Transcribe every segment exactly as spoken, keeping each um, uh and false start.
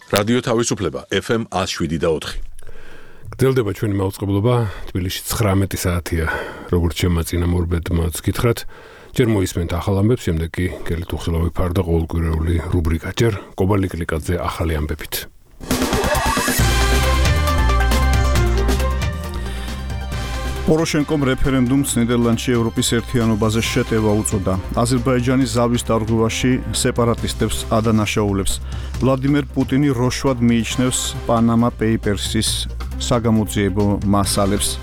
რადიო თავისუფლება ეფ ემ one oh seven და four. გრძელდება ჩვენი მაუწყებლობა, თბილისში ცხრამეტი საათია, როგორც შემაწინამორბედმაც გითხრათ, ჯერ მოისმენთ ახალ ამბებს, შემდეგ კი გელით უხილავი ფარდა ყოველკვირეული რუბრიკა, ჯერ კობალიკლიკაძე ახალი ამბებით. პოროშენკომ რეფერენდუმს ნიდერლანდში ევროპის ერთიანობაზე შეტევა უწოდა. აზერბაიჯანის ზავის დარღვევაში სეპარატისტებს ადანაშაულებს. ვლადიმერ პუტინი როშვად მიიჩნევს პანამა პეიპერსის საგამოძიებო მასალებს.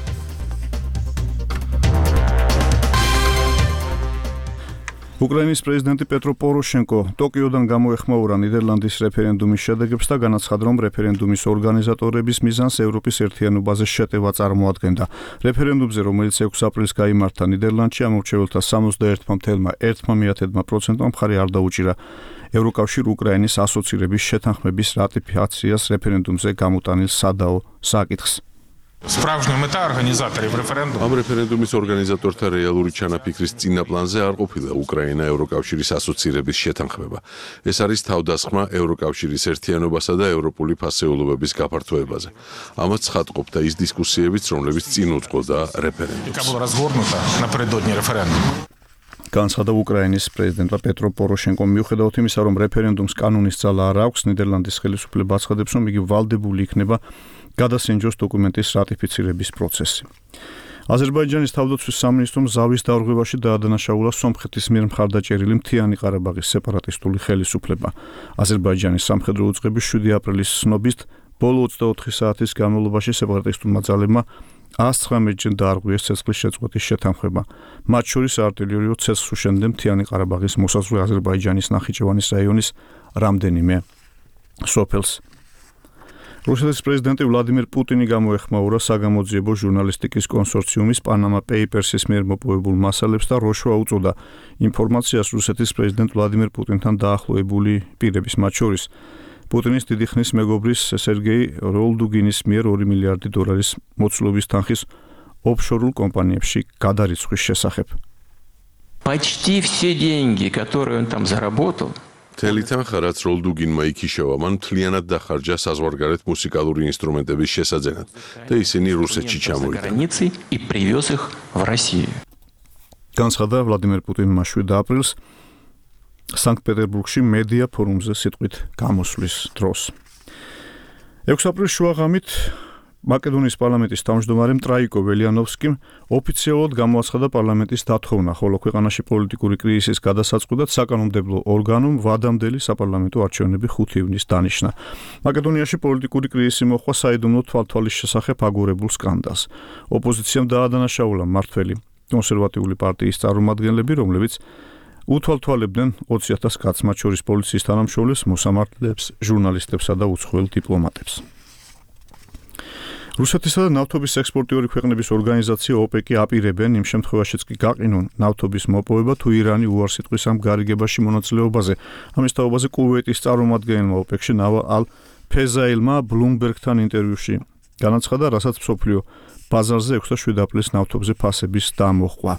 უკრაინის პრეზიდენტი პეტრო პოროშენკო ტოკიოდან გამოეხმაურა ნიდერლანდის რეფერენდუმის შედეგებს და განაცხადა, რომ რეფერენდუმის ორგანიზატორების მიზანს ევროპის ერთიანობაზე შეტევა წარმოადგენდა. რეფერენდუმზე, რომელიც ექვსი აპრილს გაიმართა ნიდერლანდში, ამორჩეველთა სამოცდაერთი целых ერთი десятых პროცენტმა მხარი არ დაუჭირა ევროკავშირ უკრაინის ასოცირების შეთანხმების რატიფიკაციას რეფერენდუმზე გამოტანილ სადაო საკითხს. Справжняя мета организаторов референдума. Ამ რეფერენდუმის ორგანიზატორთა რეალური ჩანაფიქრის წინა პლანზე არ ყოფილა უკრაინა ევროკავშირის ასოცირების შეთანხმება. ეს არის თავდასხმა ევროკავშირის ერთიანობასა და ევროპული ფასეულობების გაფართოებაზე. ამას ცხადყოფდა ის დისკუსიებიც, რომლებიც წინ უძღოდა რეფერენდუმს. Была развернута напередодни референдума. განცხადა უკრაინის პრეზიდენტმა პეტრო პოროშენკომ, მიუხედავად იმისა, რომ რეფერენდუმს კანონის ძალა არ აქვს, ნიდერლანდის ხელისუფლება აცხადებს, რომ იგი ვალდებული იქნება გადასინჯოს დოკუმენტის რატიფიცირების პროცესი. აზერბაიჯანის თავდაცვის სამინისტრომ ზავის დარღვევაში დაადანაშაულა სომხეთის მიერ მხარდაჭერილი მთიანი ყარაბაღის სეპარატისტული ხელისუფლება. აზერბაიჯანის სამხედრო უწყების შვიდი აპრილის ცნობით, ბოლო ოცდაოთხი საათის განმავლობაში სეპარატისტულმა ძალებმა one hundred nineteen ჯერ დაარღვიეს ცეცხლის შეწყვეტის შეთანხმება. მათ შორის არტილერიო ცეცხლს უშენდნენ მთიანი ყარაბაღის მოსაზღვრე აზერბაიჯანის ნახიჩევანის რაიონის რამდენიმე სოფელს. რუსეთის პრეზიდენტი ვლადიმერ პუტინი გამოეხმაურა საგამოძიებო ჟურნალისტიკის კონსორციუმის პანამა პეიპერსის მიერ მოპოვებულ მასალებს და როშვა უწოდა ინფორმაციას რუსეთის პრეზიდენტ ვლადიმერ პუტინთან დაახლოებული პირების, მათ შორის პუტინის დიდი ხნის მეგობრის სერგეი როლდუგინის მიერ ორი მილიარდი დოლარის მოცულობის თანხის ოფშორულ კომპანიებში გადარიცხვის შესახებ. Почти все деньги, которые он там заработал, მთელი თანხა, რაც როლდუგინმა იქიშავა, მან მთლიანად დახარჯა საზღვარგარეთ მუსიკალური ინსტრუმენტების შესაძენად და ისინი რუსეთში ჩამოვიდა. и привез их в Россию. განცხადა ვლადიმერ პუტინმა შვიდი აპრილს სანქტ-პეტერბურგში მედია ფორუმზე სიტყვით გამოსვლის დროს. ექვსი აპრილის შუაღამით მაკედონიის პარლამენტის თავმჯდომარემ ტრაიკო ველიანოვსკიმ ოფიციალურად გამოაცხადა პარლამენტის დათხოვნა, ხოლო ქვეყანაში პოლიტიკური კრიზისის გადასაწყვეტად საკანონმდებლო ორგანომ ვადამდელი საპარლამენტო არჩევნები ხუთი ივნის დანიშნა. მაკედონიაში პოლიტიკური კრიზისი მოჰყვა საიდუმლო თვალთვალის შესახებ აგორებულ სკანდალს. ოპოზიციამ დაადანაშაულა მმართველი კონსერვატიული პარტიის წარმომადგენლები, რომლებიც უთვალთვალებდნენ ოცი ათას კაცს, მათ შორის პოლიციის თანამშრომლებს, მოსამართლეებს, ჟურნალისტებსა და უცხოელ დიპლომატებს. რუსეთისა და ნავთობის ექსპორტიორი ქვეყნების ორგანიზაცია ოპეკი აპირებენ იმ შემთხვევაშიც კი გაყინონ ნავთობის მოპოვება, თუ ირანი უარს იტყვის ამ გარიგებაში მონაწილეობაზე. ამის თაობაზე კუვეიტის წარმომადგენელმა ოპეკში ნავა ალ ფეზაილმა ბლუმბერგთან ინტერვიუში განაცხადა, რასაც მსოფლიო ბაზარზე ექვსი და შვიდი აპრილის ნავთობზე ფასების დამოხვა.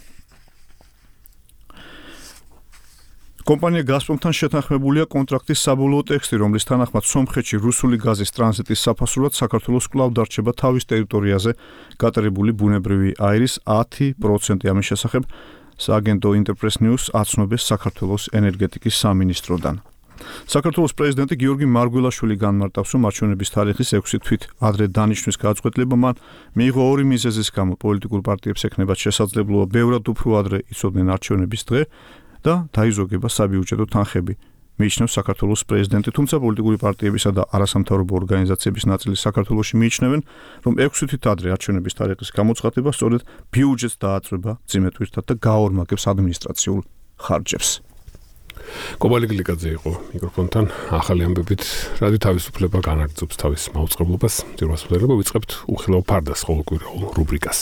კომპანია გაზპრომთან შეთანხმებულია კონტრაქტის საბოლოო ტექსტი, რომლის თანახმად სომხეთში რუსული გაზის ტრანზიტის საფასურად საქართველოს კვლავ დარჩება თავის ტერიტორიაზე გატარებული ბუნებრივი აირის ათი პროცენტი. ამის შესახებ სააგენტო ინტერპრეს ნიუს აცნობეს საქართველოს ენერგეტიკის სამინისტროდან. საქართველოს პრეზიდენტი გიორგი მარგველაშვილი განმარტავს, რომ არჩევნების თარიღის ექვსი თვით ადრე დანიშნვის გადაწყვეტილება მან მიიღო ორი მიზეზის გამო. პოლიტიკურ პარტიებს ექნებათ შესაძლებლობა ბევრად უფრო ადრე იცოდნენ არჩევნების დღე და დაიზოგება საბიუჯეტო თანხები, მიიჩნევს საქართველოს პრეზიდენტი, თუმცა პოლიტიკური პარტიებისა და არასამთავრობო ორგანიზაციების ნაწილი საქართველოში მიიჩნევენ, რომ ექვსი თვით ადრე არჩევნების თარიღის გამოცხადება სწორედ ბიუჯეტს დააწვება ძიმე თვირთად და გაორმაგებს ადმინისტრაციულ ხარჯებს. კობალიკლიკაძე იყო მიკროფონთან ახალი ამბებით. რადიო თავისუფლება განაგრძობს თავის მაუწყებლობას. ჯერ მასწავლებლობა ვიწყებთ უხილავ ფარდას ყოველკვირეულ რუბრიკას.